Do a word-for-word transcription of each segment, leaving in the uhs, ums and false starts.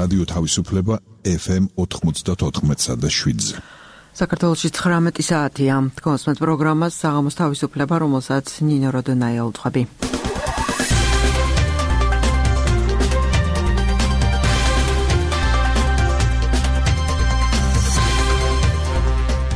რადიო თავისუფლება ეფ ემ ოთხმოცდაოთხ და შვიდზე. საქართველოში ცხრამეტი საათია. კონსმეთ პროგრამას საღამოს თავისუფლება, რომელსაც ნინო როდონაია უძღვები.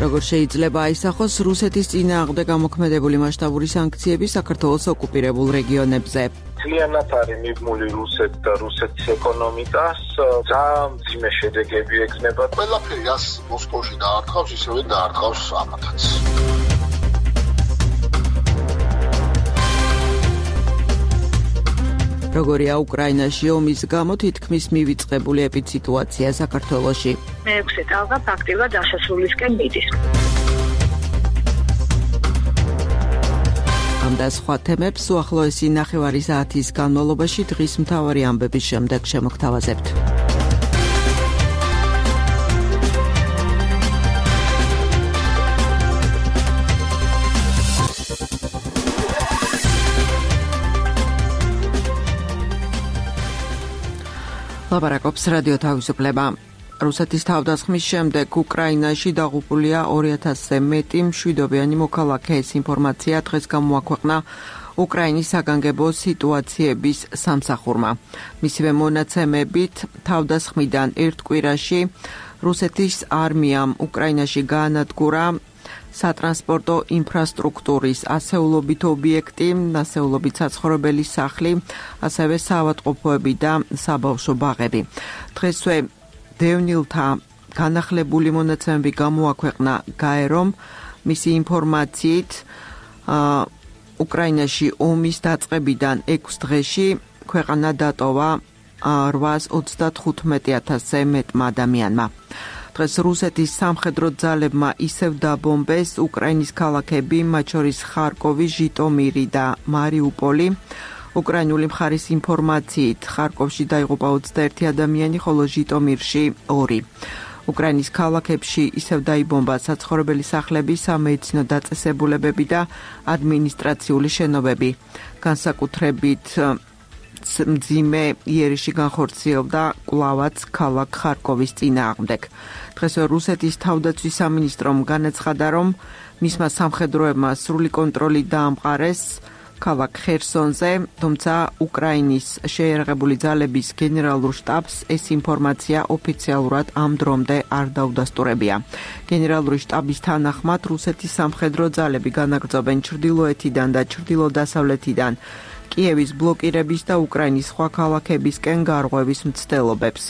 როგორ შეიძლება აისახოს რუსეთის წინააღმდეგ გამოქმედებული მასშტაბური სანქციები საქართველოს ოკუპირებულ რეგიონებზე? Ძალიან არის მიბმული რუსეთ და რუსეთის ეკონომიკას, ძალიან მძიმე შედეგები ექნება. ყველაფერი რას მოსკოვში დაარტყავს, ისევე დაარტყავს ამათაც. როგორია უკრაინაში ომის გამო თითქმის მივიწყებული ეპიდსიტუაცია საქართველოში? მეექვსე ტალღა ფაქტიურად დასასრულისკენ მიდის. ამ და სხვა თემებს უახლოესი ნახევარი საათის განმავლობაში დღის მთავარი ამბების შემდეგ შემოგთავაზებთ. ლაპარაკობს რადიო თავისუფლება. რუსეთის თავდასხმის შემდეგ უკრაინაში დაღუპულია ორი ათასზე მეტი მშვიდობიანი მოქალაქე. ეს ინფორმაცია დღეს გამოაქვეყნა უკრაინის საგანგებო სიტუაციების სამსახურმა. მისივე მონაცემებით, თავდასხმიდან ერთ კვირაში რუსეთის არმიამ უკრაინაში გაანადგურა სატრანსპორტო ინფრასტრუქტურის ასეულობით ობიექტი, ასეულობით საცხოვრებელი სახლი, ასევე საავადმყოფოები და საბავშვო ბაღები. დღესვე დევნილთა განახლებული მონაცემები გამოაქვეყნა გაერომ. მისი ინფორმაციით, უკრაინაში ომის დაწყებიდან ექვს დღეში ქვეყანა დატოვა რვაას ოცდათხუთმეტი ათასზე მეტმა ადამიანმა. დღეს რუსეთის სამხედრო ძალებმა ისევ დაბომბეს უკრაინის ქალაქები, მათ შორის ხარკოვი, ჟიტომირი და მარიუპოლი. უკრაინული მხარის ინფორმაციით, ხარკოვში დაიღუპა ოცდაერთი ადამიანი, ხოლო ჟიტომირში ორი. უკრაინის ქალაქებში ისევ დაიბომბა საცხოვრებელი სახლები, სამედიცინო დაწესებულებები და ადმინისტრაციული შენობები. განსაკუთრებით მძიმე იერიში განხორციელდა კვლავაც ქალაქ ხარკოვის წინააღმდეგ. დღესვე რუსეთის თავდაცვის სამინისტრომ განაცხადა, რომ მისმა სამხედროებმა სრული კონტროლი დაამყარეს ქალაქ ხერსონზე, თუმცა უკრაინის შეიარაღებული ძალების გენერალურ შტაბს ეს ინფორმაცია ოფიციალურად ამ დრომდე არ დაუდასტურებია. გენერალური შტაბის თანახმად, რუსეთის სამხედრო ძალები განაგრძობენ ჩრდილოეთიდან და ჩრდილო-დასავლეთიდან კიევის ბლოკირების და უკრაინის სხვა ქალაქებისკენ გარღვევის მცდელობებს.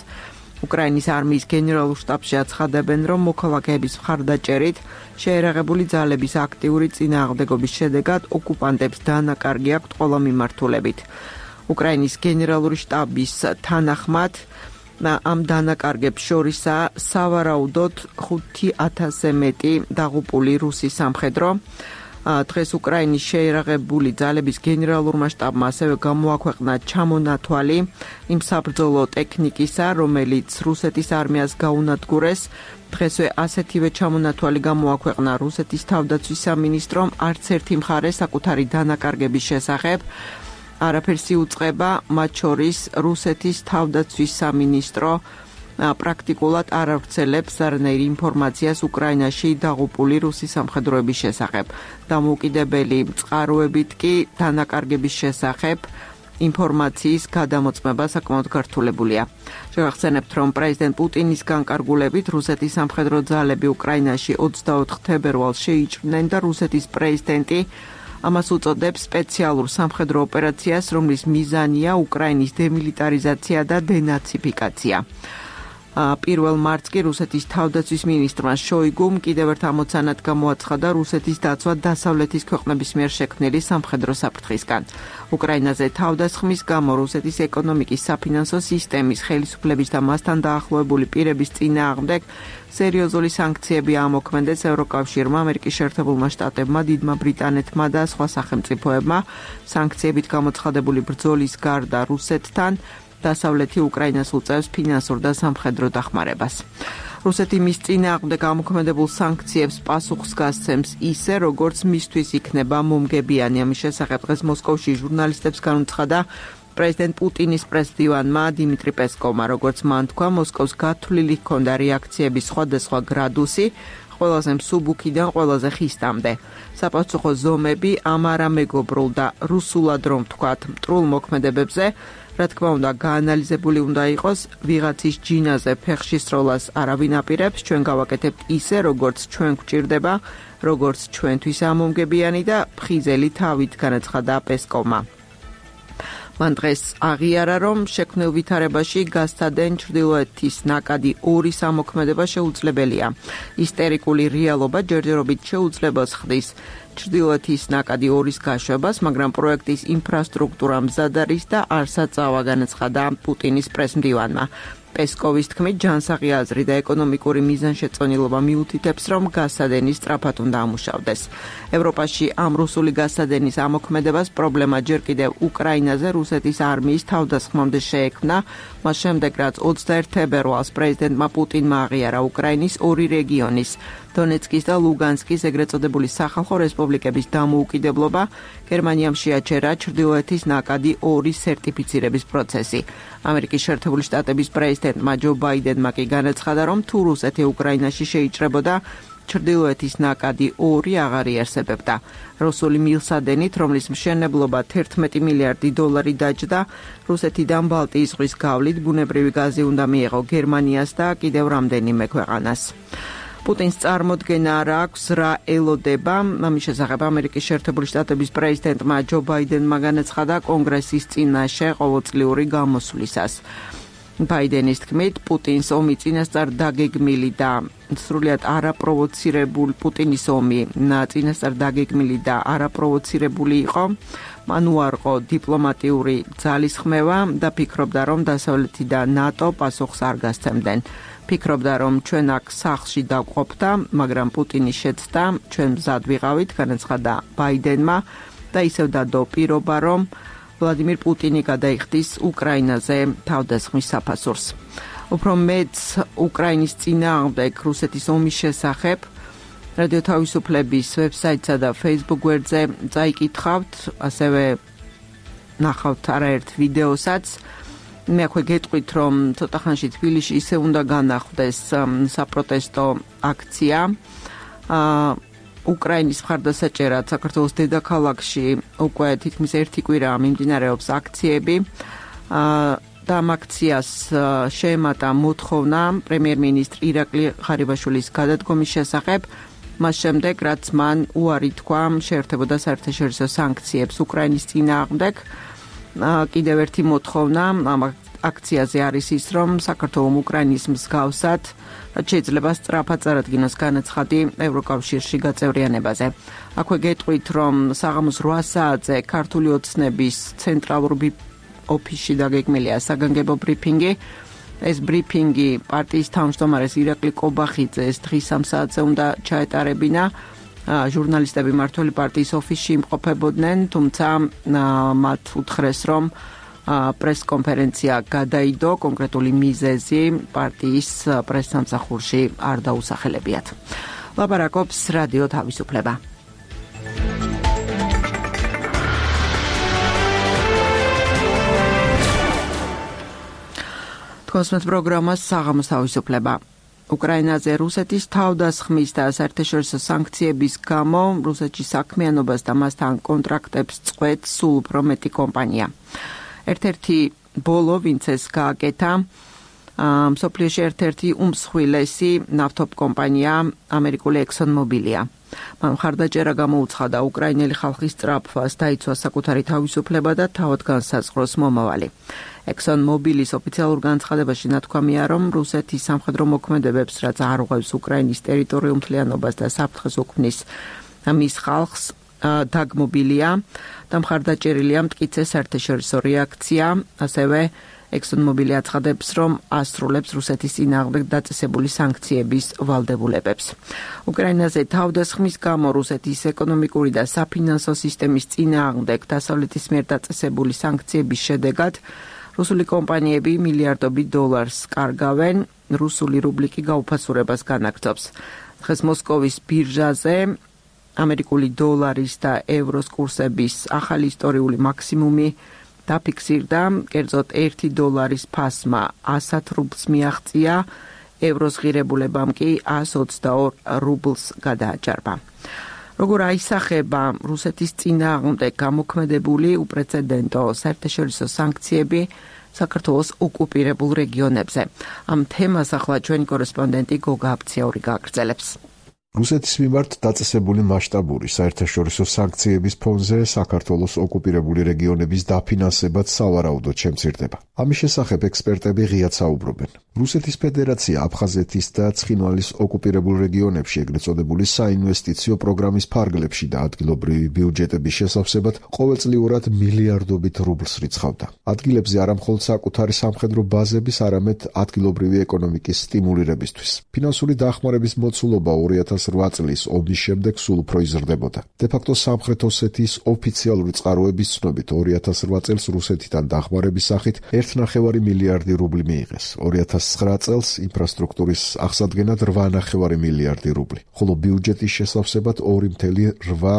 უკრაინის არმიის გენერალურ შტაბში აცხადებენ, რომ მოქალაქეების მხარდაჭერით შეიარაღებული ძალების აქტიური წინააღმდეგობის შედეგად ოკუპანტებს დანაკარგი აქვთ ყველა მიმართულებით. უკრაინის გენერალური შტაბის თანახმად, ამ დანაკარგებს შორისაა სავარაუდოდ ხუთი ათასზე მეტი დაღუპული რუსი სამხედრო. დღეს უკრაინის შეიარაღებული ძალების გენერალურმა შტაბმა ასევე გამოაქვეყნა ჩამონათვალი იმ საბრძოლო ტექნიკისა, რომელიც რუსეთის არმიას გაუნადგურეს. დღესვე ასეთივე ჩამონათვალი გამოაქვეყნა რუსეთის თავდაცვის სამინისტრომ. არც ერთი მხარე საკუთარი დანაკარგების შესახებ არაფერს იუწყება, მათ შორის რუსეთის თავდაცვის სამინისტრო პრაქტიკულად არ ავრცელებს არანაირ ინფორმაციას უკრაინაში დაღუპული რუსი სამხედროების შესახებ. დამოუკიდებელი წყაროებით კი დანაკარგების შესახებ ინფორმაციის გადამოწმება საკმაოდ გართულებულია. შევახსენებთ, რომ პრეზიდენტ პუტინის განკარგულებით რუსეთის სამხედრო ძალები უკრაინაში ოცდაოთხ თებერვალს შეიჭრნენ და რუსეთის პრეზიდენტი ამას უწოდებს სპეციალურ სამხედრო ოპერაციას, რომლის მიზანია უკრაინის დემილიტარიზაცია და დენაციფიკაცია. პირველ მარტს კი რუსეთის თავდაცვის მინისტრმა შოიგუმ კიდევ ერთ ამოცანად გამოაცხადა რუსეთის დაცვა დასავლეთის ქვეყნების მიერ შექმნილი სამხედრო საფრთხისგან. უკრაინაზე თავდასხმის გამო რუსეთის ეკონომიკის საფინანსო სისტემის ხელისუფლების და მასთან დაახლოებული პირების წინააღმდეგ სერიოზული სანქციები ამოქმედეს ევროკავშირმა, ამერიკის შეერთებულმა შტატებმა, დიდმა ბრიტანეთმა და სხვა სახელმწიფოებმა. სანქციებით გამოცხადებული ბრძოლის გარდა რუსეთთან დასავლეთი უკრაინას უწევს ფინანსურ და სამხედრო დახმარებას. რუსეთი მის წინააღმდეგ გამოქმედებულ სანქციებს პასუხს გასცემს ისე, როგორც მისთვის იქნება მომგებიანი. ამის შესახებ დღეს მოსკოვში ჟურნალისტებს განუცხადა პრეზიდენტ პუტინის პრესდივანმა დიმიტრი პესკოვმა, როგორც მან თქვა, მოსკოვს გათვლილი ჰქონდა რეაქციების სხვადასხვა გრადუსი, ყველაზე მსუბუქიდან ყველაზე ხისტამდე. საპასუხო ზომები ამ არამეგობრულ და რუსულად რომ ვთქვათ, მტრულ მოქმედებებზე, რა თქმა უნდა, გაანალიზებული უნდა იყოს, ვიღაცის ჯინაზე ფეხში სროლას არავინ აპირებს, ჩვენ გავაკეთებთ ისე, როგორც ჩვენ გვჭირდება, როგორც ჩვენთვის ამომგებიანი და ფხიზელი თავით განაცხადა პესკოვმა. მან დღეს აღიარა, რომ შექმნილ ვითარებაში გასცადენ ჩრდილოეთის ნაკადი ორი სამოქმედება შეუძლებელია. ისტერიკული რეალობა ჯერჯერობით შეუძლებელს ხდის ჩრდილოეთის ნაკადი ორის გაშვებას, მაგრამ პროექტის ინფრასტრუქტურა მზად არის და არ საწავა, განაცხადა პუტინის პრესმდივანმა. პესკოვის თქმით, ჯანსაღი აზრი და ეკონომიკური მიზანშეწონილობა მიუთითებს, რომ გასცადენი სწრაფად უნდა ამუშავდეს. ევროპაში ამ რუსული გასცადენის ამოქმედებას პრობლემა ჯერ კიდევ უკრაინაზე რუსეთის არმიის თავდასხმამდე შეექმნა, მას შემდეგ, რაც ოცდაერთი თებერვალს პრეზიდენტმა პუტინმა აღიარა უკრაინის ორი რეგიონის, დონეცკის და ლუგანსკის ეგრეთ წოდებული სახალხო რესპუბლიკების დამოუკიდებლობა, გერმანიამ შეაჩერა ჩრდილოეთის ნაკადი ორი სერტიფიცირების პროცესი. ამერიკის შეერთებული შტატების პრეზიდენტმა ჯო ბაიდენმა კი განაცხადა, რომ თუ რუსეთი უკრაინაში შეიჭრებოდა, ჩრდილოეთის ნაკადი ორი აღარ იარსებებდა. რუსული მილსადენით, რომლის მშენებლობა თერთმეტი მილიარდი დოლარი დაჯდა, რუსეთიდან ბალტიის ზღვის გავლით ბუნებრივი გაზი უნდა მიეღო გერმანიას და კიდევ რამდენიმე ქვეყანას. პუტინს წარმოდგენა არ აქვს, რა ელოდება. ამის შესახებ ამერიკის შეერთებული შტატების პრეზიდენტმა ჯო ბაიდენმა განაცხადა კონგრესის წინაშე ყოველწლიური გამოსვლისას. ბაიდენის თქმით, პუტინს ომი წინასწარ დაგეგმილი და სრულიად არაპროვოცირებული პუტინის ომი წინასწარ დაგეგმილი და არაპროვოცირებული იყო. მან უარყო დიპლომატიური ძალისხმევა და ფიქრობდა, რომ დასავლეთი და ნატო პასუხს არ გასცემდნენ. ფიქრობდა, რომ ჩვენ აქ სახლში დავყოფდა, მაგრამ პუტინის შეცდა, ჩვენ მზად ვიყავით, განაცხადა ბაიდენმა და ისევ დადო პირობა, რომ ვლადიმირ პუტინი გადაიხდის უკრაინაზე თავდასხმის საფასურს. უფრო მეც უკრაინის წინააღმდეგ რუსეთის ომის შესახებ რადიო თავისუფლების ვებსაიტსა და Facebook გვერდზე წაიკითხავთ, ასევე ნახავთ არაერთ ვიდეოსაც. მე აქვე გეტყვით, რომ ცოტა ხანში თბილისში ისე უნდა განახვდეს საპროტესტო აქცია. უკრაინის მხარდასაჭერად საქართველოს დედაქალაქში უკვე თითქმის ერთი კვირაა მიმდინარეობს აქციები. და ამ აქციას შეემატა მოთხოვნა პრემიერ-მინისტრ ირაკლი ღარიბაშვილის გადადგომის შესახებ, მას შემდეგ, რაც მან უარი თქვა შეერთებოდა საერთაშორისო სანქციებს უკრაინის წინააღმდეგ. კიდევ ერთი მოთხოვნა ამ აქციაზე არის ის, რომ საქართველოს უკრაინის მსგავსად შეიძლება სწრაფად წარადგინოს განაცხადი ევროკავშირში გაწევრიანებაზე. აქვე გეტყვით, რომ საღამოს რვა საათზე ქართული ოცნების ცენტრალური ოფისში დაგეგმილია საგანგებო ბრიფინგი. ეს ბრიფინგი პარტიის თავმჯდომარეს ირაკლი კობახიძეს დღის სამ საათზე უნდა ჩაეტარებინა. ჟურნალისტები მმართველი პარტიის ოფისში იმყოფებოდნენ, თუმცა მათ უთხრეს, რომ პრესკონფერენცია გადაიდო, კონკრეტული მიზეზი პარტიის პრესსამსახურში არ დაუსახელებიათ. ლაპარაკობს რადიო თავისუფლება. თქვენს პროგრამას საღამოს თავისუფლება. უკრაინაზე რუსეთის თავდასხმის და საერთაშორისო სანქციების გამო რუსეთში საქმიანობას და მასთან კონტრაქტებს წყვეტს სულ უფრო მეტი კომპანია. ერთ-ერთი ბოლო, ვინც ეს გააკეთა, მსოფლიოში ერთ-ერთი უმსხვილესი ნავთობ კომპანია ამერიკული ExxonMobilია. მან მხარდაჭერა გამოუცხადა უკრაინელი ხალხის სწრაფვას, დაიცვა საკუთარი თავისუფლება და თავად განსაზღვროს მომავალი. ExxonMobilis ოფიციალურ განცხადებაში ნათქვამია, რომ რუსეთის სამხედრო მოქმედებებს, რაც არღვევს უკრაინის ტერიტორიულ მთლიანობას და საფრთხეს უქმნის მის ხალხს, დაგმობილია და მხარდაჭერილია მტკიცე საერთაშორისო რეაქცია. ასევე ExxonMobil აცხადებს, რომ ასრულებს რუსეთის წინააღმდეგ დაწესებული სანქციების ვალდებულებებს. უკრაინაზე თავდასხმის გამო რუსეთის ეკონომიკური და საფინანსო სისტემის წინააღმდეგ დასავლეთის მიერ დაწესებული სანქციების შედეგად რუსული კომპანიები მილიარდობით დოლარს კარგავენ, რუსული რუბლი კი გაუფასურებას განაგრძობს. დღეს მოსკოვის ბირჟაზე ამერიკული დოლარის და ევროს კურსების ახალი ისტორიული მაქსიმუმი დაფიქსირდა, კერძოდ ერთი დოლარის ფასმა ასად რუბლს მიაღწია, ევროს ღირებულებამ კი ას ოცდაორ რუბლს გადააჭარბა. როგორ აისახება რუსეთის წინააღმდეგ გამოქმედებული უპრეცედენტო საერთაშორისო სანქციები საქართველოს ოკუპირებულ რეგიონებზე? ამ თემას ახლა ჩვენი კორესპონდენტი გოგა აფციური გააგრძელებს. რუსეთის მიმართ დაწესებული მასშტაბური საერთაშორისო სანქციების ფონზე საქართველოს ოკუპირებული რეგიონების დაფინანსებაც სავარაუდოდ შემცირდება. ამის შესახებ ექსპერტები ღიად საუბრობენ. რუსეთის ფედერაცია აფხაზეთის და ცხინვალის ოკუპირებულ რეგიონებში ეგრეთ წოდებული საინვესტიციო პროგრამის ფარგლებში და ადგილობრივი ბიუჯეტების შესავსებად ყოველწლიურად მილიარდობით რუბლს რიცხავდა. ადგილებზე არა მხოლოდ საკუთარი სამხედრო ბაზების, არამედ ადგილობრივი ეკონომიკის სტიმულირებისთვის. ფინანსური დახმარების მოცულობა ორი ათას ოცდაოთხ წლის ომის შემდეგ სულ უფრო იზრდებოდა. დე-ფაქტო სამხრეთ ოსეთის ოფიციალური წყაროების ცნობით ორი ათას ოთხ წელს რუსეთიდან დახმარების სახით ერთი ნახევარი მილიარდი რუბლი მიიღეს. ორი ათას ცხრა წელს ინფრასტრუქტურის აღსადგენად რვა ნახევარი მილიარდი რუბლი, ხოლო ბიუჯეტის შესავსებად ორი მცდარი რვა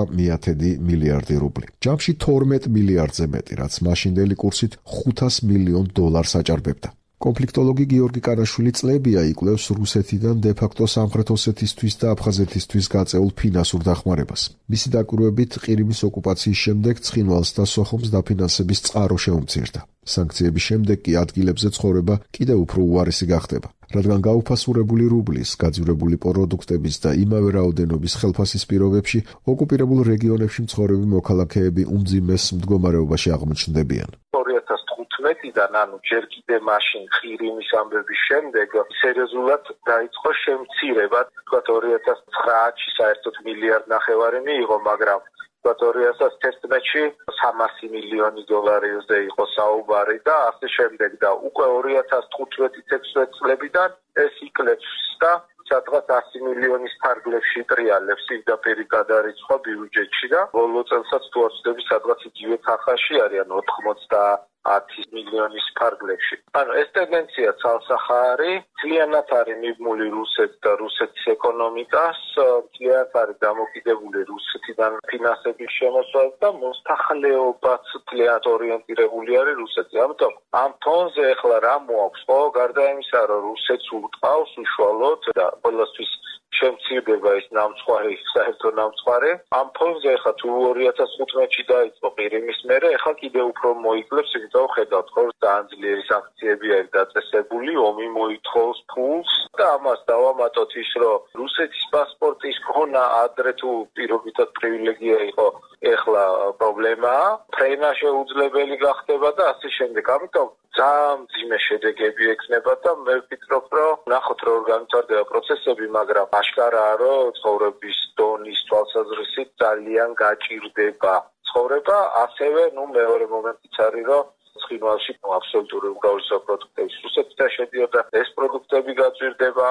მილიარდი რუბლი. ჯამში თორმეტ მილიარდზე მეტი, რაც მაშინდელი კურსით ხუთას მილიონ დოლარს აჭარბებდა. კონფლიქტოლოგი გიორგი კანაშვილი წლებია იკვლევს რუსეთიდან დე-ფაქტო სამხრეთ ოსეთისთვის და აფხაზეთისთვის გაწეულ ფინანსურ დახმარებას. მისი დაკვირვებით ყირიმის ოკუპაციის შემდეგ ცხინვალს და სოხუმს დაფინანსების წყარო შეუმცირდა. სანქციების შემდეგ კი ადგილებზე ცხოვრება კიდევ უფრო უარესი გახდება, რადგან გაუფასურებული რუბლის, გაძვირებული პროდუქტების და იმავე რაოდენობის ხელფასის პირობებში ოკუპირებულ რეგიონებში მცხოვრები მოქალაქეები უმძიმეს მდგომარეობაში აღმოჩნდებიან. ორი ათას თხუთმეტიდან, ანუ ჯერ კიდე მაშინ ყირიმის ამბების შემდეგ სერიოზულად დაიწყო შემცირება. თქვათ ორი ათას ცხრაათში საერთოდ მილიარდ ნახევარი მიიღო, მაგრამ ორი ათას თერთმეტში სამასი მილიონი დოლარზე იყო საუბარი და ასე შემდეგ და უკვე ორი ათას თხუთმეტი ექვსმეტი წლებიდან ეს იკლებს და სადღაც ასი მილიონის ფარგლებში ტრიალებს პირდაპირ გადარიცხვა ბიუჯეტში და ბოლო წელსაც თუ არ ვცდები სადღაც იგივე თანხაში არიან ოთხმოცდაათი მილიონის ფარგლებში. ანუ ეს ტენდენცია ცალსახარი, ძალიანად არის მიბმული რუსეთს და რუსეთის ეკონომიკას, ძალიანად არის დამოკიდებული რუსეთიდან ფინანსების შემოსვლას და მოსახლეობაც ძალიანად ორიენტირებული არის რუსეთზე. ამიტომ ამ ფონზე ახლა რა მოაქვს? ხო, გარდა იმისა, რომ რუსეთს უტყავს უშუალოდ და ყველასთვის შემცირდება ის ნამცხვარი, საერთო ნამცხვარი. ამ ფონზე ახლა თუ ორი ათას თხუთმეტში დაიწყო ყირიმის მერე, ახლა კიდევ უფრო მოიკლებს, იმიტომ ხედავთ, რომ ძალიან ძლიერი სანქციები არის დაწესებული, ომი მოითხოვს ფულს და ამას დავამატოთ ის, რომ რუსეთის პასპორტის ქონა ადრე თუ პირობითად პრივილეგია იყო, ეხლა პრობლემაა, ფრენა შეუძლებელი გახდება და ასე შემდეგ. ამიტომ ძალიან მძიმე შედეგები ექნება და მე ვფიქრობ, რომ ნახოთ რომ განვითარდება პროცესები, მაგრამ აშკარაა, რომ ცხოვრების დონის თვალსაზრისით ძალიან გაჭირდება ცხოვრება, ასევე ნუ მეორე მომენტიც არის, რომ ცხინვალში აბსოლუტური უმრავლესობა პროდუქტების რუსეთიდან შედიოდა, ეს პროდუქტები გაჭირდება.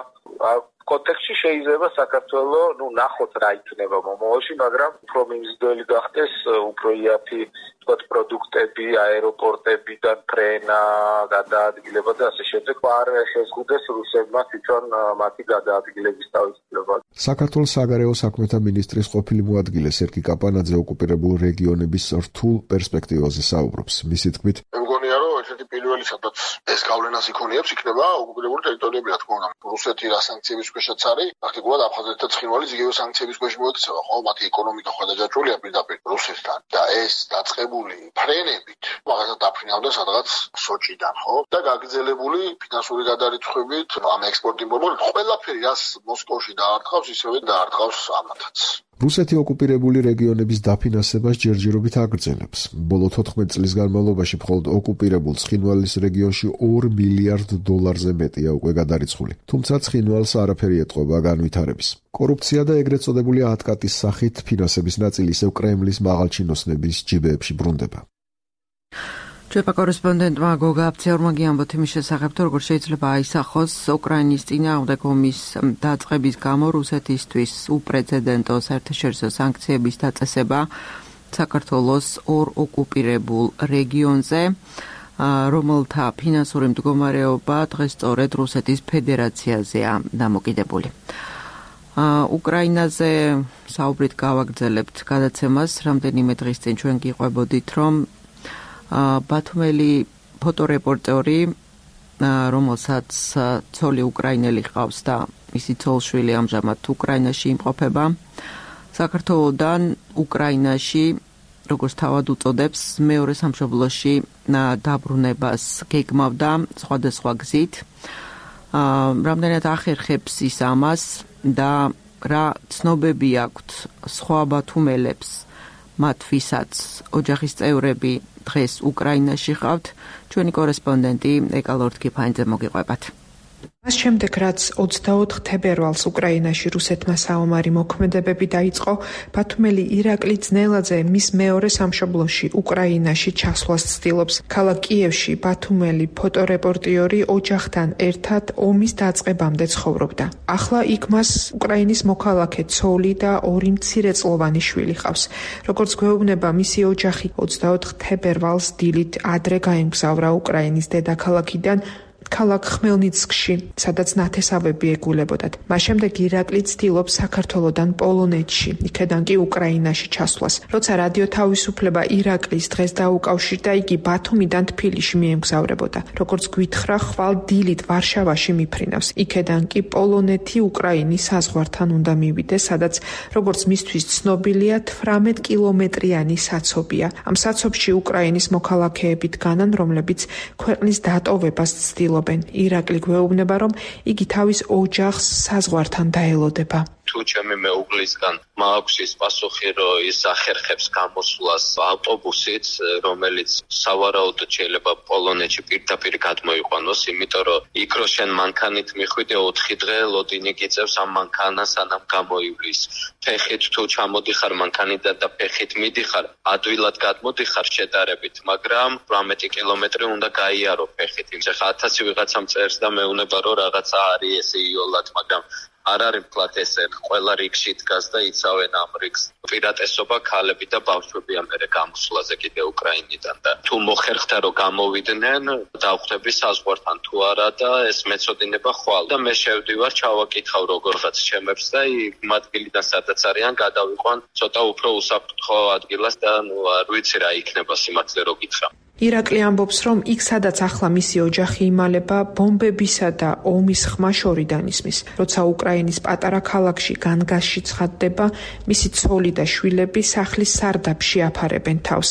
კონტექსტში შეიძლება საქართველოს, ნუ ნახოთ რა იქნება მომავალში, მაგრამ უფრო მიმზიდველი გახდეს, უფრო იაფი თქვათ პროდუქტები, აეროპორტებიდან ფრენა, გადაადგილება და ასე შემდეგ. არ შეზღუდეს რუსებმა თვითონ მათი გადაადგილების თავისუფლება. საქართველოს საგარეო საქმეთა მინისტრის ყოფილი მოადგილე სერგი კაპანაძე ოკუპირებულ რეგიონების რთულ პერსპექტივაზე საუბრობს. მისი თქმით, მგონია რომ ერთ-ერთი პირველი სადაც ეს გავლენას იქონიებს იქნება ოკუპირებული ტერიტორიები, რა თქმა უნდა. რუსეთი რა სანქციების ქვეშაც არის, პრაქტიკულად აფხაზეთი და ცხინვალის იგივე სანქციების ქვეშ მოექცევა, ხო, მათი ეკონომიკა ხოდა დაჭრულია პირდაპირ რუსეთთან და ეს დაწყებული ფრენებით მაგასაც დაფრინავდა სადღაც სოჭიდან, ხო? და გაგრძელებული ფინანსური გადარიცხვებით, ამ ექსპორტ-იმპორტ, ყველაფერი რაც მოსკოვში დაარტყავს, ისევე დაარტყავს ამათაც. რუსეთი ოკუპირებული რეგიონების დაფინანსებას ჯერჯერობით აგრძელებს. ბოლო თოთხმეტ წლის განმავლობაში მხოლოდ ოკუპირებულ ცხინვალის რეგიონში ორ მილიარდ დოლარზე მეტია უკვე გადარიცხული. თუმცა ცხინვალს არაფერი ეტყობა განვითარების. კორუფცია და ეგრეთ წოდებული ატკატის სახით ფინანსების ნაწილი ისევ კრემლის მაღალჩინოსნების ჯიბეებში ბრუნდება. ჩვენი კორესპონდენტმა გოგა აფციურმა გიამბოთ იმის შესახებ, თუ როგორ შეიძლება აისახოს უკრაინის წინააღმდეგ ომის დაწყების გამო რუსეთისთვის უპრეცედენტო საერთაშორისო სანქციების დაწესება საქართველოს ორ ოკუპირებულ რეგიონზე, რომელთა ფინანსური მდგომარეობა დღეს სწორედ რუსეთის ფედერაციაზეა დამოკიდებული. უკრაინაზე საუბრით გავაგრძელებთ გადაცემას, რამდენიმე დღის წინ ჩვენ გიყვებოდით, რომ ბათუმელი ფოტორეპორტერი, რომელსაც ცოლი უკრაინელი ყავს და მისი ცოლშვილი ამჟამად უკრაინაში იმყოფება, საქართველოდან უკრაინაში, როგორც თავად უწოდებს, მეორე სამშობლოში დაბრუნებას გეგმავდა სხვადასხვა გზით. რამდენად ახერხებს ის ამას და რა ცნობები აქვთ სხვა ბათუმელებს, მათ ვისაც ოჯახის წევრები დღეს უკრაინაში ყავთ, ჩვენი კორესპონდენტი ეკა ლორთქიფანიძე მოგიყვებათ. მას შემდეგ, რაც ოცდაოთხ თებერვალს უკრაინაში რუსეთმა საომარი მოქმედებები დაიწყო, ბათუმელი ირაკლი ძნელაძე მის მეორე სამშობლოში უკრაინაში ჩასვლას ცდილობს. ქალაქ კიევში ბათუმელი ფოტორეპორტიორი ოჯახთან ერთად ომის დაწყებამდე ცხოვრობდა. ახლა იქ მას უკრაინის მოქალაქე ცოლი და ორი მცირეწლოვანი შვილი ყავს. როგორც გვეუბნება მისი ოჯახი, ოცდაოთხ თებერვალს დილით ადრე გაემგზავრა უკრაინის დედაქალაქიდან ქალაქ ხმელნიცკში, სადაც ნათესავები ეგულებოდათ. მას შემდეგ ირაკლი ცდილობს საქართველოდან პოლონეთში, იქედან კი უკრაინაში ჩასვლას. როცა რადიო თავისუფლება ირაკლის დღეს დაუკავშირდა, იგი ბათუმიდან თბილისში მიემგზავრებოდა. როგორც გვითხრა, ხვალ დილით ვარშავაში მიფრინავს. იქედან კი პოლონეთი უკრაინის საზღვართან უნდა მივიდეს, სადაც როგორც მისთვის ცნობილია, თვრამეტ კილომეტრიანი საცობია. ამ საცობში უკრაინის მოქალაქეები დგანან, რომლებიც ქვეყნის დატოვებას ცდილობენ. ირაკლი გვეუბნება, რომ იგი თავის ოჯახს საზღვართან დაელოდება. თუ ჩემი მეუღლისგან მაქვს ის პასუხი, რომ ის ახერხებს გამოსვლას ავტობუსით, რომელიც სავარაუდოდ შეიძლება პოლონეთში პირდაპირ გადმოიყვანოს, იმიტომ რომ იქ რო შენ მანქანით მიხვიდე ოთხი დღე ლოდინი გიწევს ამ მანქანას, სანამ გამოივლის. ფეხით თუ ჩამოდიხარ მანქანიდან და ფეხით მიდიხარ, ადვილად გადმოდიხარ შედარებით, მაგრამ რამეტი კილომეტრი უნდა გაიარო ფეხით. იმის ხა ათასი ვიღაცამ წერს და მეუნება რომ რაღაცა არის ესე იოლად, მაგრამ არ არის ფლათ ესე, ყველა რიგში დგას და იცავენ ამ რიგს. პირატესობა ქალები და ბავშვები ამერე გამოსვლაზე კიდე უკრაინიდან და თუ მოხერხდა რომ გამოვიდნენ, დავხვდები საზღვართან თუ არა და ეს მეწოდინება ხვალ და მე შევდივარ, ჩავაკითხავ როგორღაც ჩემებს და იმ ადგილიდან სადაც არიან გადავიყვან ცოტა უფრო უსაფრთხო ადგილას და ნუ არ ვიცი რა იქნება სიმართლე რო გითხრა. ირაკლი ამბობს, რომ იქ სადაც ახლა მისი ოჯახი იმალება, ბომბებისა და ომის ხმა შორიდან ისმის. როცა უკრაინის პატარა ქალაქში განგასში ცხადდება, მისი ცოლი და შვილები სახლის სარდაფში აფარებენ თავს.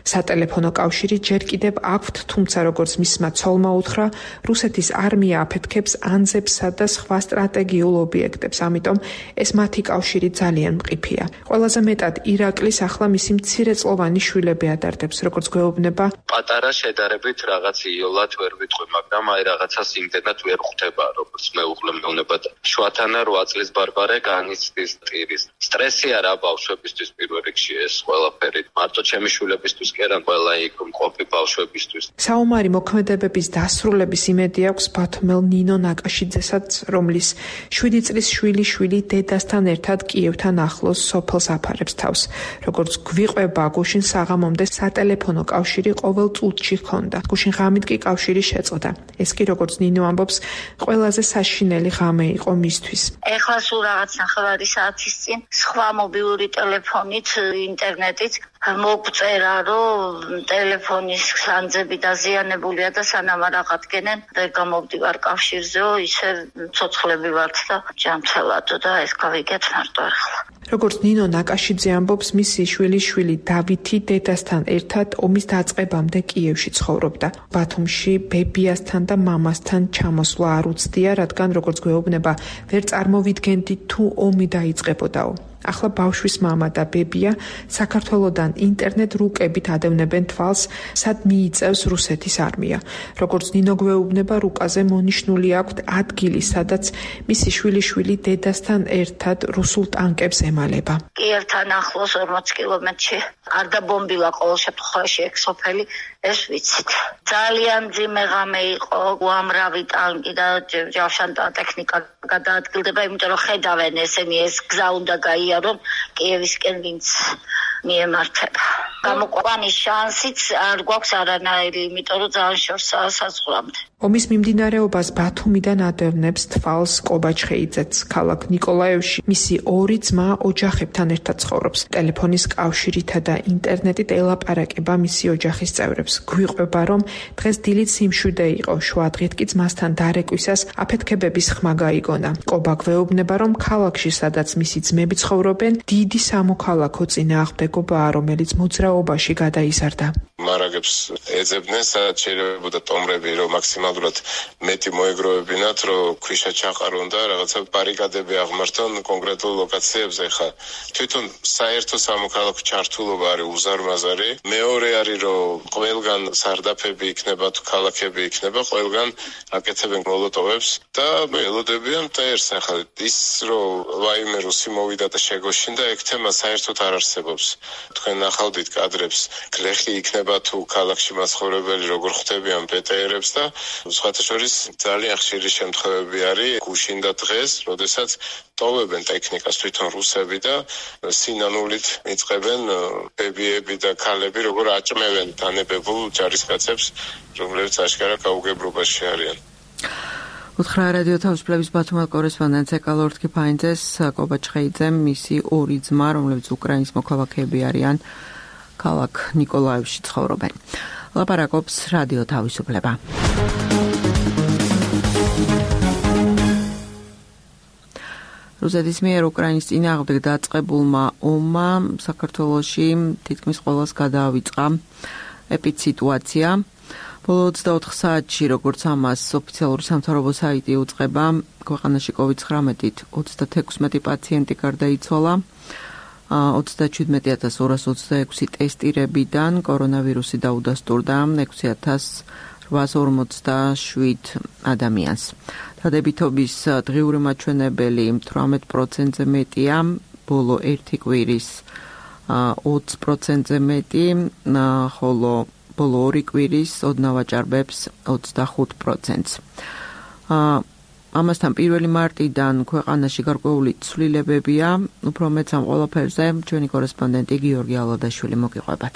სატელეფონო კავშირი ჯერ კიდევ აქვთ, თუმცა როგორც მისმა ცოლმა უთხრა, რუსეთის არმია აფეთქებს ანძებსა და სხვა სტრატეგიულ ობიექტებს, ამიტომ ეს მათი კავშირი ძალიან მყიფეა. ყველაზე მეტად ირაკლის ახლა მისი მცირეწლოვანი შვილები ადარდებს, როგორც გვეუბნება. პატარა შედარებით რაღაც იოლად ვერ ვიტყვი, მაგრამ აი რაღაცას იმდენად ვერ ხვდება, როგორც მეუღლე მეუნება და შვათანა რვა წლის ბარბარე განიცდის ტირის. სტრესი არა ბავშვებისთვის პირველ რიგში ეს ყველაფერი. მარტო ჩემი შვილებისთვის კი არა, ყველა იქ მყოფი ბავშვებისთვის. საომარი მოქმედებების დასრულების იმედი აქვს ბათუმელ ნინო ნაკაშიძესაც, რომლის შვიდი წლის შვილი შვილი დედასთან ერთად კიევთან ახლოს სოფელს აფარებს თავს. როგორც გვიყვება, გუშინ საღამომდე სატელეფონო კავშირი ყოველ წუთში ჰქონდა. გუშინ ღამით კი კავშირი შეწყდა. ეს კი როგორც ნინო ამბობს, ყველაზე საშინელი ღამე იყო მისთვის. ეხლა სულ რაღაც ნახევარი საათის წინ სხვა მობილური ტელეფონით, ინტერნეტით მოგწერა, რომ ტელეფონის სანძები დაზიანებულია და სანამ არ აღადგენენ, ვერ გამოვდივარ კავშირზეო, ისე ცოცხლები ვართ და ჯანმრთელადო და ეს გავიგეთ მარტო ახლა. როგორც ნინო ნაკაშიძე ამბობს, მისი შვილი შვილი დავითი დედასთან ერთად ომის დაწყებამდე კიევში ცხოვრობდა. ბათუმში ბებიასთან და მამასთან ჩამოსვლა არ უცდია, რადგან როგორც გვეუბნება, ვერ წარმოვიდგენდით თუ ომი დაიწყებოდაო. ახლა ბავშვის მამა და ბებია საქართველოდან ინტერნეტ რუკებით ადევნებენ თვალს, სად მიიწევს რუსეთის არმია. როგორც ნინო გვეუბნება, რუკაზე მონიშნული აქვთ ადგილი, სადაც მისი შვილიშვილი დედასთან ერთად რუსულ ტანკებს ემალება. კიევთან ახლოს ორმოც კილომეტრში არ დაბომბილა ყოველ შემთხვევაში ეგ სოფელი, ეს ვიცით. ძალიან ძიმე ღამე იყო, უამრავი ტანკი და ჯავშანტა ტექნიკა გადაადგილდება, იმიტომ რომ ხედავენ ესენი ეს გზა უნდა გაიარონ რომ კიევისკენ ვინც მიემართება. გამოყვანის შანსიც არ გვაქვს არანაირი, იმიტომ რომ ძალიან შორსაა საზღვრამდე. ომის მიმდინარეობას ბათუმიდან ადევნებს თვალს კობაჩხეიძეც. ქალაქ ნიკოლაევში მისი ორი ძმა ოჯახებთან ერთად ცხოვრობს. ტელეფონის კავშირითა და ინტერნეტით ელაპარაკება მისი ოჯახის წევრებს. გვიყვება, რომ დღეს დილით სიმშვიდე იყო, შუადღით კი ძმასთან დარეკვისას აფეთქებების ხმა გაიგონა. კობა გვეუბნება, რომ ქალაქში, სადაც მისი ძმები ცხოვრობენ, დიდი სამოქალაქო წინააღმდეგობაა, რომელიც მოძრაობაში გადაიზარდა. მარაგებს ეძებდნენ, სადაც შეიძლება ტომრები, რომ მაქსიმალურად მეტი მოეგროვებინათ, რომ ქვიშა ჩაყარონ და რაღაცა ბარიკადები აღმართონ კონკრეტულ ლოკაციებზე. ხა თვითონ საერთო სამოქალაქო ჩართულობა არის უზარმაზარი. მეორე არის, რომ ყველგან სარდაფები იქნება თუ ქალაქები იქნება, ყველგან აკეთებენ მოლოტოვებს და ელოდებიან მტერს. ახლა ის რომ ვაიმე რუსი მოვიდა და შეგოშინდა, ეგ თემა საერთოდ არ არსებობს. თქვენ ნახავდით კადრებს, გლეხი იქნება თუ ქალაქში მაცხოვრებელი როგორ ხვდებიან პეტეერებს და სხვათა შორის ძალიან ხშირი შემთხვევები არის გუშინდა დღეს, როდესაც ტოვებენ ტექნიკას თვითონ რუსები და სინანულით იწყებენ ბებიები და ქალები როგორ აჭმევენ დანებებულ ჯარისკაცებს, რომლებიც აშკარა გაუგებრობაში არიან. უთხრა რადიო თავისუფლების ბათუმელ კორესპონდენტს ეკალორთ კიფაინძეს კობაჩხეიძემ მისი ორი ძმა, რომლებიც უკრაინის მოქალაქეები არიან, ქალაქ ნიკოლაევში ცხოვრობენ. ლაპარაკობს რადიო თავისუფლება. რუსეთის მიერ უკრაინის წინააღმდეგ დაწყებულმა ომმა საქართველოში თითქმის ყველას გადაავიწყა ეპიდსიტუაცია. ბოლო ოცდაოთხ საათში, როგორც ამას ოფიციალური სამთავრობო საიტი უწყება, ქვეყანაში კოვიდ ცხრამეტით ოცდათექვსმეტი პაციენტი გარდაიცვალა. ოცდაჩვიდმეტი ათას ორას ოცდაექვსი ტესტირებიდან კორონავირუსი დაუდასტურდა ექვსი ათას რვაას ორმოცდაშვიდ ადამიანს. დადებითობის დღიური მაჩვენებელი თვრამეტ პროცენტზე მეტია, ბოლო ერთი კვირის ოცი პროცენტზე მეტი, ხოლო ბოლო ორი კვირის ოდნავ აჭარბებს ოცდახუთ პროცენტს. ამასთან პირველი მარტიდან ქვეყანაში გარკვეული ცვლილებებია, უფრო მეც ამ ყველაფერზე ჩვენი კორესპონდენტი გიორგი ალადაშვილი მოგიყვებათ.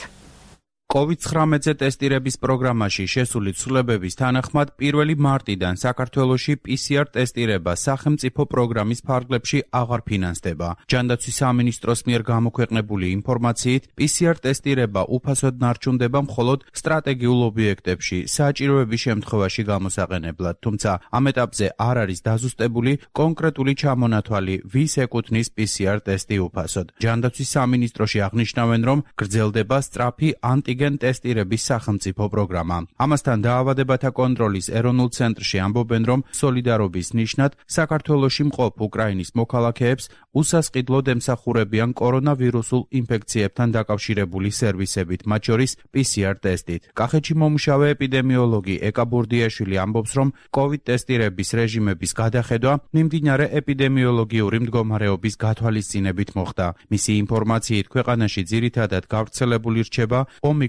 კოვიდ ცხრამეტზე ტესტირების პროგრამაში შესული ცვლილებების თანახმად პირველი მარტიდან საქართველოში პი სი არ ტესტირება სახელმწიფო პროგრამის ფარგლებში აღარ ფინანსდება. ჯანდაცვის სამინისტროს მიერ გამოქვეყნებული ინფორმაციით, პი სი არ ტესტირება უფასოდ ნარჩუნდება მხოლოდ სტრატეგიულ ობიექტებში, საჭიროების შემთხვევაში გამოსაყენებლად, თუმცა ამ ეტაპზე არ არის დაზუსტებული კონკრეტული ჩამონათვალი, ვის ეკუთვნის პი სი არ ტესტი უფასოდ. ჯანდაცვის სამინისტროში აღნიშნავენ, რომ გრძელდება სწრაფი ანტი ტესტირების სახელმწიფო პროგრამა. ამასთან დაავადებათა კონტროლის ეროვნულ ცენტრში ამბობენ, რომ სოლიდარობის ნიშნად საქართველოში მყოფ უკრაინის მოქალაქეებს უსასყიდლოდ ემსახურებიან კორონავირუსულ ინფექციებთან დაკავშირებული სერვისებით, მათ შორის პი სი არ ტესტით. კახეთში მომუშავე ეპიდემიოლოგი ეკა ბურდიაშვილი ამბობს, რომ კოვიდ ტესტირების რეჟიმების გადახედვა მიმდინარე ეპიდემიოლოგიური მდგომარეობის გათვალისწინებით მოხდა. მისი ინფორმაციით, ქვეყანაში ძირითადად გავრცელებული რჩება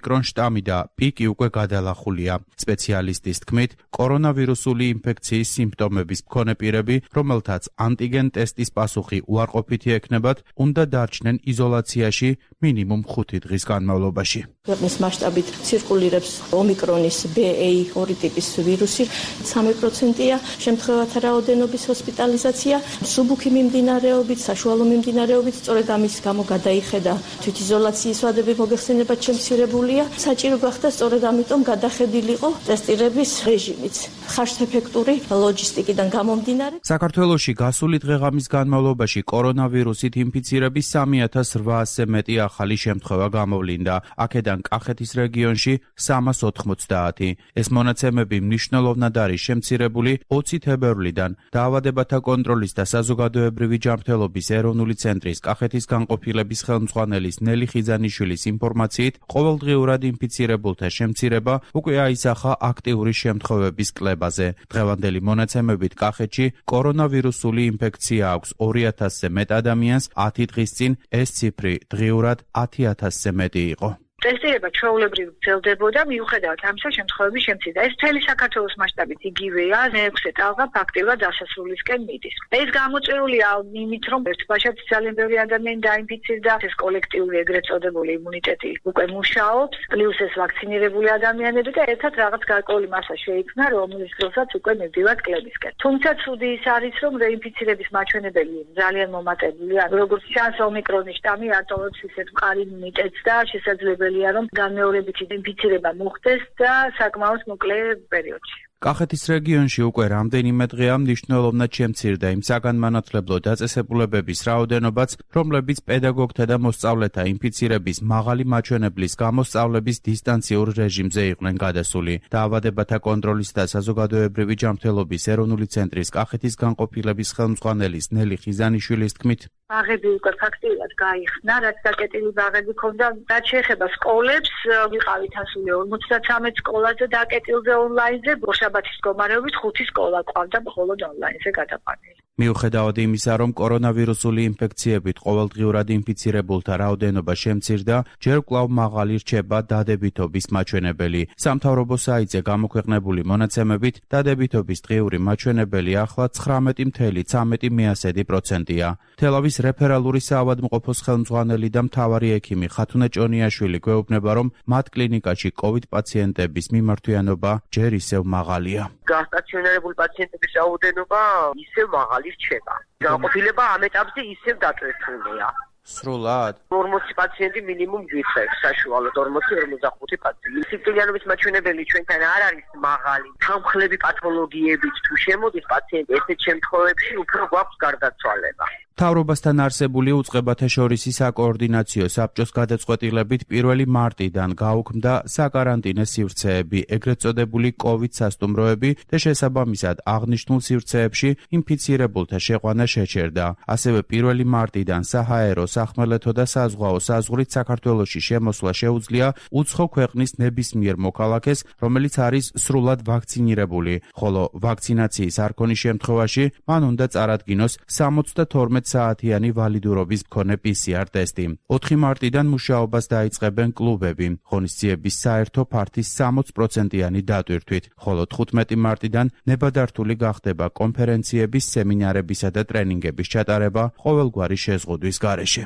ომიკრონ შტამი და პიკი უკვე გადალახულია. სპეციალისტის თქმით, კორონავირუსული ინფექციის სიმპტომების მქონე პირები, რომელთაც ანტიგენ ტესტის პასუხი უარყოფითი ექნებათ, უნდა დარჩნენ იზოლაციაში მინიმუმ ხუთი დღის განმავლობაში. ქვეყნის მასშტაბით ცირკულირებს ომიკრონის ბი ეი ორი ტიპის ვირუსი, სამი პროცენტია შემთხვევათა რაოდენობის ჰოსპიტალიზაცია, მსუბუქი მიმდინარეობით, საშუალო მიმდინარეობით, სწორედ ამის გამო გადაიხედა თვითიზოლაციის ვადები მოგეხსენებათ შემცირებულია. საჭირო გახდა სწორედ ამიტომ გადახედილიყო ტესტირების რეჟიმიც. ხარშთეფექტური ლოჯისტიკიდან გამომდინარე. საქართველოში გასული დღეღამის განმავლობაში კორონავირუსით ინფიცირების სამი ათას რვაასზე მეტი ახალი შემთხვევა გამოვლინდა. აქედან კახეთის რეგიონში სამას ოთხმოცდაათი. ეს მონაცემები მნიშვნელოვნად არის შემცირებული ოცი თებერვლიდან. დაავადებათა კონტროლის და საზოგადოებრივი ჯანმრთელობის ეროვნული ცენტრის კახეთის განყოფილების ხელმძღვანელის ნელი ხიზანიშვილის ინფორმაციით, ყოველდღიურად ინფიცირებულთა შემცირება უკვე აისახა აქტიური შემთხვევების კლებაზე. დღევანდელი მონაცემებით კახეთში კორონავირუსული ინფექცია აქვს ორი ათასზე მეტ ადამიანს, ათი დღის წინ ეს ციფრი დღიურად ათი ათასზე მეტი იყო. ტესტირება ჩვეულებრივ გრძელდებოდა, მიუხედავად ამისა შემთხვევების შემცირდა. ეს მთელი საქართველოს მასშტაბით იგივეა, მეექვსე ტალღა ფაქტიურად დასასრულისკენ მიდის. ეს გამოწვეულია იმით, რომ ერთბაშად ძალიან ბევრი ადამიანი დაინფიცირდა, ეს კოლექტიური ეგრეთ წოდებული იმუნიტეტი უკვე მუშაობს, პლუს ეს ვაქცინირებული ადამიანები და ერთად რაღაც გარკვეული მასა შეიქმნა, რომლის დროსაც უკვე მივდივართ კლებისკენ. თუმცა ცუდი ის არის, რომ რეინფიცირების მაჩვენებელი ძალიან მომატებულია. როგორც ჩანს, ომიკრონის შტამი ატოვებს ისეთ მყარი იმუნიტეტს და შესაძლებელია, რომ განმეორებითი ინფიცირება მოხდეს და საკმაოდ მოკლე პერიოდში. კახეთის რეგიონში უკვე რამდენიმე დღეა მნიშვნელოვნად შემცირდა იმ საგანმანათლებლო დაწესებულებების რაოდენობაც, რომლებიც პედაგოგთა და მოსწავლეთა ინფიცირების მაღალი მაჩვენებლის გამო სწავლების დისტანციურ რეჟიმზე იყვნენ გადასული. დაავადებათა კონტროლის და საზოგადოებრივი ჯანმრთელობის ეროვნული ცენტრის კახეთის განყოფილების ხელმძღვანელის ნელი ხიზანიშვილის თქმით, ბაღები უკვე ფაქტიურად გაიხსნა, რაც დაკეტილი ბაღები ქონდა. რაც შეეხება სკოლებს, ვიყავით ასული ორმოცდათრამეტ სკოლაზე დაკეტილზე ონლაინზე, შაბათის მდგომარეობით ხუთი სკოლა ყავდა მხოლოდ ონლაინზე გადაყვანილი. მიუხედავად იმისა, რომ კორონავირუსული ინფექციებით ყოველდღიურად ინფიცირებულთა რაოდენობა შემცირდა, ჯერ კვლავ მაღალი რჩება დადებითობის მაჩვენებელი. სამთავრობო საიტზე გამოქვეყნებული მონაცემებით, დადებითობის დღიური მაჩვენებელი ახლა ცხრამეტი ფاصლე ცხრამეტი პროცენტია. თელავის რეფერალური საავადმყოფოს ხელმძღვანელი და მთავარი ექიმი ხათუნა ჭონიაშვილი გვეუბნება, რომ მათ კლინიკაში COVID პაციენტების მიმართვიანობა ჯერ ისევ მაღალია. გასტაციონირებული პაციენტების რაოდენობა ისევ მაღალი რჩება. განყოფილება ამ ეტაპზე ისევ დატვირთულია. სრულად ორმოცი პაციენტი მინიმუმ გვიწევს, საშუალოდ ორმოცი ორმოცდახუთი პაციენტი. სიკვდილიანობის მაჩვენებელი ჩვენთან არ არის მაღალი. თანხლები პათოლოგიებით თუ შემოდის პაციენტი, ესეთ შემთხვევებში უფრო გვაქვს გარდაცვალება. მთავრობასთან არსებული უწყებათა შორისი საკოორდინაციო საბჭოს გადაწყვეტილებით პირველი მარტიდან გაუქმდა საკარანტინე სივრცეები, ეგრეთ წოდებული COVID სასტუმროები და შესაბამისად აღნიშნულ სივრცეებში ინფიცირებულთა შეყვანა შეჩერდა. ასევე პირველი მარტიდან საჰაერო, სახმელეთო და საზღვაო საზღვრით საქართველოში შემოსვლა შეუძლია უცხო ქვეყნის ნებისმიერ მოქალაქეს, რომელიც არის სრულად ვაქცინირებული, ხოლო ვაქცინაციის არ ქონის შემთხვევაში მან უნდა წარადგინოს სამოცდათორმეტ საათიანი ვალიდურობის მქონე პი სი არ ტესტი. ოთხი მარტიდან მუშაობას დაიწყებენ კლუბები, ღონისძიების საერთო ფართის სამოც პროცენტიანი დატვირთვით, ხოლო თხუთმეტი მარტიდან ნებადართული გახდება კონფერენციების, სემინარებისა და ტრენინგების ჩატარება ყოველგვარი შეზღუდვის გარეშე.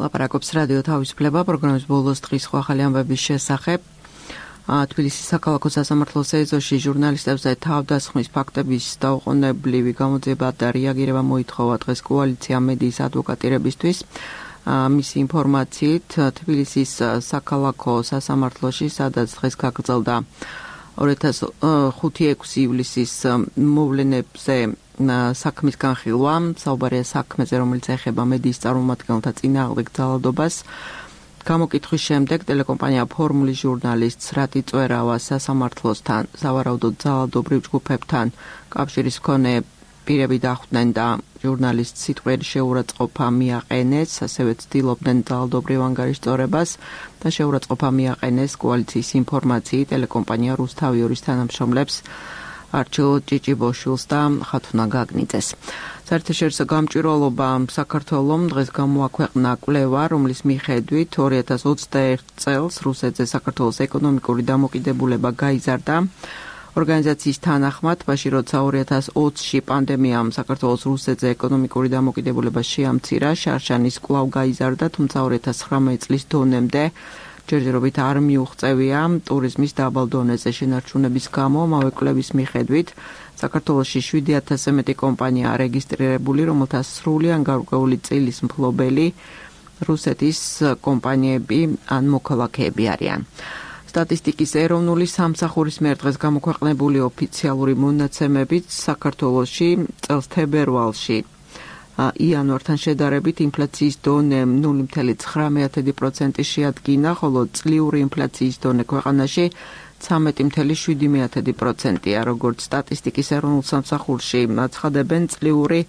ლაპარაკობს რადიო თავისუფლება პროგრამის ბოლოს დღის ახალი ამბების შესახებ. თბილისის საქალაქო სასამართლოს ეზოში ჟურნალისტებზე თავდასხმის ფაქტების დაუყოვნებლივი გამოძიება და რეაგირება მოითხოვა დღეს კოალიცია მედიის ადვოკატირებისთვის. მისი ინფორმაციით, თბილისის საქალაქო სასამართლოში, სადაც დღეს გაგრძელდა ორი ათას ხუთი ექვსი ივლისის მოვლენებზე საქმის განხილვა, საუბარია საქმეზე, რომელიც ეხება მედიის წარმომადგენელთა წინააღმდეგ ძალადობას. გამოკითხვის შემდეგ ტელეკომპანია ფორმულის ჟურნალისტს რატი წვერავა სასამართლოსთან, სავარაუდოდ ძალადობრივ ჯგუფებთან კავშირის მქონე პირები დახვდნენ და ჟურნალისტს სიტყვიერი შეურაცხყოფა მიაყენეს, ასევე ცდილობდნენ ძალადობრივ ანგარიშწორებას და შეურაცხყოფა მიაყენეს კოალიციის ინფორმაციით ტელეკომპანია რუსთავიორის თანამშრომლებს არჩილ ჭიჭიბოშვილს და ხათუნა გაგნიძეს. საერთაშორისო გამჭვირვალობა საქართველომ დღეს გამოაქვეყნა კვლევა, რომლის მიხედვით ორი ათას ოცდაერთ წელს რუსეთზე საქართველოს ეკონომიკური დამოკიდებულება გაიზარდა. ორგანიზაციის თანახმად, მაშინ როცა ორი ათას ოცში პანდემიამ საქართველოს რუსეთზე ეკონომიკური დამოკიდებულება შეამცირა, შარშანის კვლავ გაიზარდა, თუმცა ორი ათას ცხრამეტ წლის დონემდე ჯერჯერობით არ მიუღწევია ტურიზმის დაბალ დონეზე შენარჩუნების გამო. ამავე კვლევის მიხედვით საქართველოში შვიდი ათასზე მეტი კომპანიაა რეგისტრირებული, რომელთა სრული ან გარკვეული წილის მფლობელი რუსეთის კომპანიები ან მოქალაქეები არიან. სტატისტიკის ეროვნული სამსახურის მიერ დღეს გამოქვეყნებული ოფიციალური მონაცემებით საქართველოში წელს თებერვალში იანვართან შედარებით ინფლაციის დონე ნული ფاصლე ცხრამეტი პროცენტი შეადგინა, ხოლო წლიური ინფლაციის დონე ქვეყანაში ცხრამეტი ფاصლე შვიდი პროცენტია. როგორც სტატისტიკის ეროვნულ სამსახურში აცხადებენ, წლიური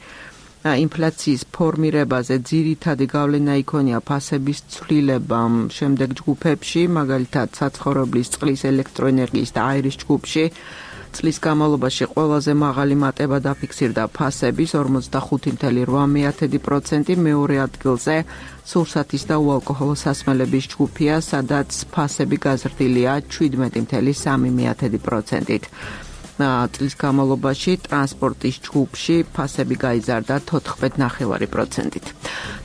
ინფლაციის ფორმირებაზე ძირითადი გავლენა იქონია ფასების ცვლილებამ შემდეგ ჯგუფებში, მაგალითად საცხოვრებლის, წყლის, ელექტროენერგიის და აირის ჯგუფში წლის განმავლობაში ყველაზე მაღალი მატება დაფიქსირდა ფასების ორმოცდახუთი წუთი ოთხ პროცენტი, მეორე ადგილზე სურსათის და უალკოჰოლო სასმელების ჯგუფია, სადაც ფასები გაზრდილია შვიდმეტი წუთი სამი პროცენტით. წლის განმავლობაში ტრანსპორტის ჯგუფში ფასები გაიზარდა თოთხმეტ ნახევარი პროცენტით.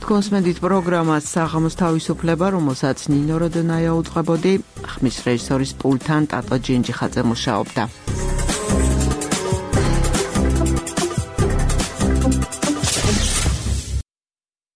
თქვენს მედით პროგრამას საღამოს თავისუფლება, რომელსაც ნინო როდონაია უძღვებოდი, ხმის რეჟისორის პულტთან ტატო ჯინჯიხაძე მუშაობდა.